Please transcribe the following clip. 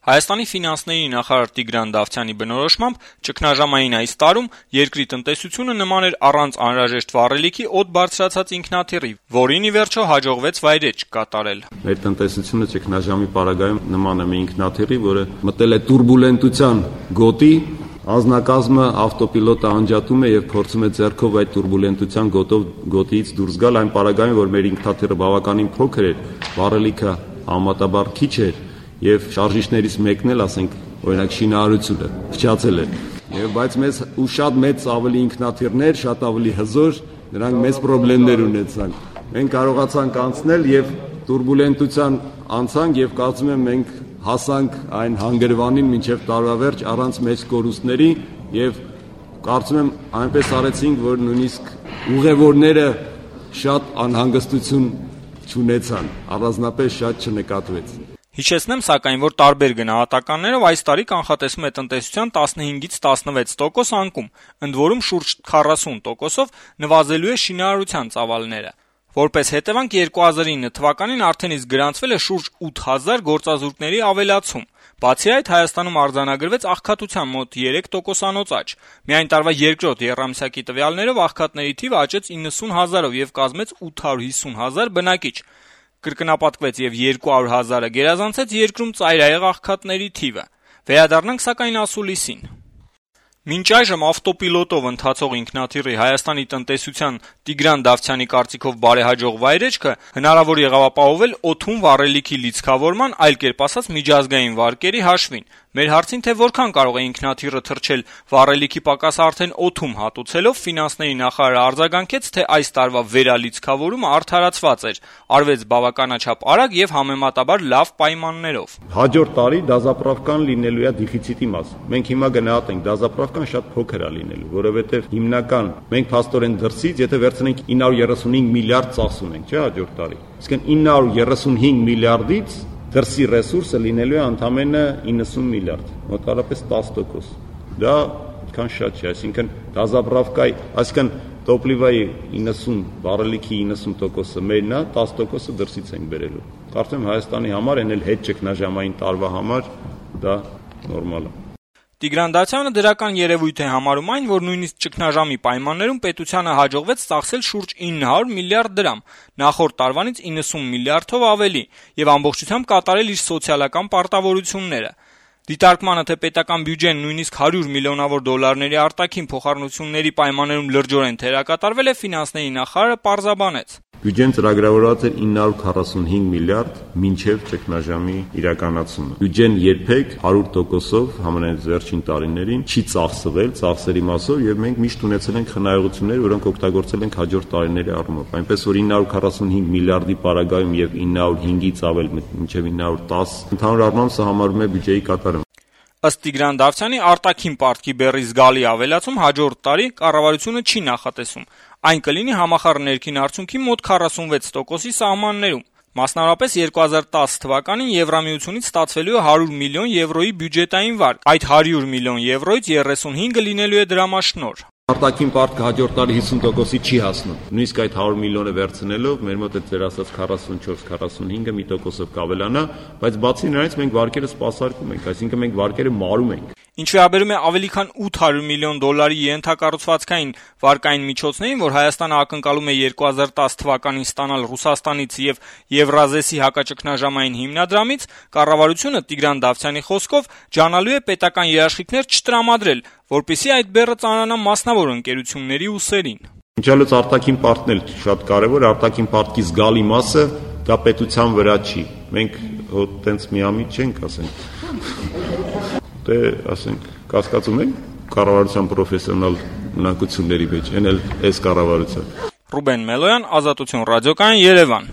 Հայաստանի ֆինանսների նախարար Տիգրան Դավթյանի բնորոշմամբ ճգնաժամային այս տարում երկրի տնտեսությունը նման էր առանց անհրաժեշտ վառելիքի օդ բարձրացած ինքնաթիռի, որին ի վերջո հաջողվեց վայրէջք կատարել։ Մեր տնտեսությունը ճգնաժամի պարագայում նման է մի ինքնաթիռի, որը մտել է տուրբուլենտության գոտի, անձնակազմը ավտոպիլոտը անջատում է եւ փորձում է ձեռքով այդ տուրբուլենտության գոտիից դուրս գալ, այն պարագայում, որ մեր ինքնաթիռը բավականին փոքր էր, վառելիքը համեմատաբար քիչ էր եւ շարժիչներից մեկն էլ, ասենք, օրինակ շինարարությունը փչացել է։ Բայց մեզ ու շատ մեծ ավելի ինքնաթիռներ, շատ ավելի հզոր, նրանք մեծ խնդիրներ ունեցան։ Մենք կարողացանք անցնել եւ տուրբուլենտության անցանք եւ կարծում եմ մենք հասանք այն հանգրվանին մինչեւ տարվա վերջ առանց մեծ կորուստների եւ կարծում եմ այնպես արեցինք, որ նույնիսկ ուղևորները շատ անհանգստություն չունեցան, առանձնապես շատ չնկատվեց։ Հիշեցնեմ, սակայն, որ տարբեր գնահատականներով այս տարի կանխատեսում է տնտեսության 15-ից 16% անկում, ընդ որում շուրջ 40%-ով նվազելու է շինարարության ծավալները։ Որպես հետևանք 2009 թվականին արդեն իսկ գրանցվել է շուրջ 8000 գործազուրկների ավելացում։ Բացի այդ, Հայաստանում արձանագրվեց աղքատության մոտ 3% աճ։ Միայն տարվա երկրորդ եռամսյակի տվյալներով աղքատների թիվը աճեց 90,000-ով եւ կազմեց 850,000 բնակիչ։ Կրկնապատկվեց եւ 200,000-ը գերազանցեց երկրում ծայրահեղ աղքատների թիվը։ Վերադառնանք սակայն ասուլիսին։ Մինչ այժմ ավտոպիլոտով ընթացող ինքնաթիռի Հայաստանի տնտեսության Տիգրան Դավթյանի կարծիքով բարեհաջող վայրեջքը հնարավոր եղավ ապահովել օդում վառելիքի լիցքավորման, այլ կերպ ասած միջազգային վարկերի հաշվին։ Մեր հարցին, թե որքան կարող է ինքնաթիռը թռչել վառելիքի պակաս արդեն օդում հատուցելով, ֆինանսների նախարարը արձագանքեց, թե այս տարվա վերալիցքավորումը արդարացված էր, արվեց բավականաչափ արագ եւ համեմատաբար լավ պայմաններով։ Հաջորդ տարի դազապրավկան լինելու է դեֆիցիտի մաս։ Մենք հիմա գնահատենք դազապրավկան շատ փոքր է լինելու, որովհետեւ հիմնական մենք փաստորեն դրսից, եթե վերցնենք 935 միլիարդ ծախս ունենք, չէ՞, հաջորդ տարի։ Իսկ 935 միլիարդից դրսի ռեսուրսը լինելու է ընդամենը 90 միլիարդ, մոտավորապես 10%։ Դա այդքան շատ չէ, այսինքն դազապրավկայի, այսինքն տոպլիվայի 90 վառելիքի 90%-ը մերն է, 10%-ը դրսից ենք բերելու։ Կարծում եմ Հայաստանի համար այն էլ հետ ճգնաժամային տարվա համար դա նորմալ է։ Տիգրան Դավթյանը դրական երևույթ է համարում այն, որ նույնիսկ ճգնաժամի պայմաններում պետությանը հաջողվեց ծախսել շուրջ 900 միլիարդ դրամ, նախորդ տարվանից 90 միլիարդով ավելի, եւ ամբողջությամբ կատարել իր սոցիալական պարտավորությունները։ Դիտարկմանը, թե պետական բյուջեն նույնիսկ 100 միլիոնավոր դոլարների արտաքին փոխառնությունների պայմաններում լրջորեն թերակատարվել է, ֆինանսների նախարարը պարզաբանեց։ Բյուջեն ծրագրավորված էր 945 միլիարդ մինչև ճգնաժամի իրականացումը։ Բյուջեն երբեք 100%-ով համենայն վերջին տարիներին չի ծախսվել ծախսերի մասով եւ մենք միշտ ունեցել ենք խնայողություններ, որոնք օգտագործել ենք հաջորդ տարիների առումով։ Այնպես որ 945 միլիարդի պարագայում եւ 905-ից ավել մինչև 910 ընդհանուր առմամբ սա համարվում է բյուջեի կատարում։ Ըստ Տիգրան Դավթյանի արտաքին պարտքի բեռի զգալի ավելացում հաջորդ տարի կառավարությունը չի նախատեսում։ Այն կլինի համախառն ներքին արդյունքի մոտ 46%-ի սահմաններում։ Մասնավորապես 2010 թվականին Եվրամիությունից ստացվելու է 100 միլիոն եվրոյի բյուջետային վարկ։ Այդ 100 միլիոն եվրոյից 35-ը լինելու է դրամաշնորհ։ Արտաքին պարտքը հաջորդ տարի 50%-ի չի հասնում։ Նույնիսկ այդ 100 միլիոնը վերցնելով մեր մոտ է ձեր ասած 44-45-ը մի տոկոսով կավելանա, բայց բացի նրանից մենք վարկերը սպասարկում ենք, այսինքն մենք վարկերը մարում ենք։ Ինչ վերաբերում է ավելի քան 800 միլիոն դոլարի ենթակառուցվածքային վարկային միջոցներին, որ Հայաստանը ակնկալում է 2010 թվականին ստանալ Ռուսաստանից եւ Եվրազեսի հակաճգնաժամային հիմնադրամից, կառավարությունը Տիգրան Դավթյանի խոսքով ջանալու է պետական երաշխիքներ չտրամադրել, որպեսզի այդ բեռը ծանրանա մասնավոր ընկերությունների ուսերին։ Ինչալոց արտաքին պարտքն էլ շատ կարևոր, արտաքին պարտքի զգալի մասը դա պետության վրա չի։ Մենք տենց միամիտ չենք, ասենք։ Դե, ասենք, կասկածում ենք կառավարության պրոֆեսիոնալ ունակությունների մեջ, այն էլ այս կառավարության։ Ռուբեն Մելոյան, Ազատություն ռադիոկայան, Երևան։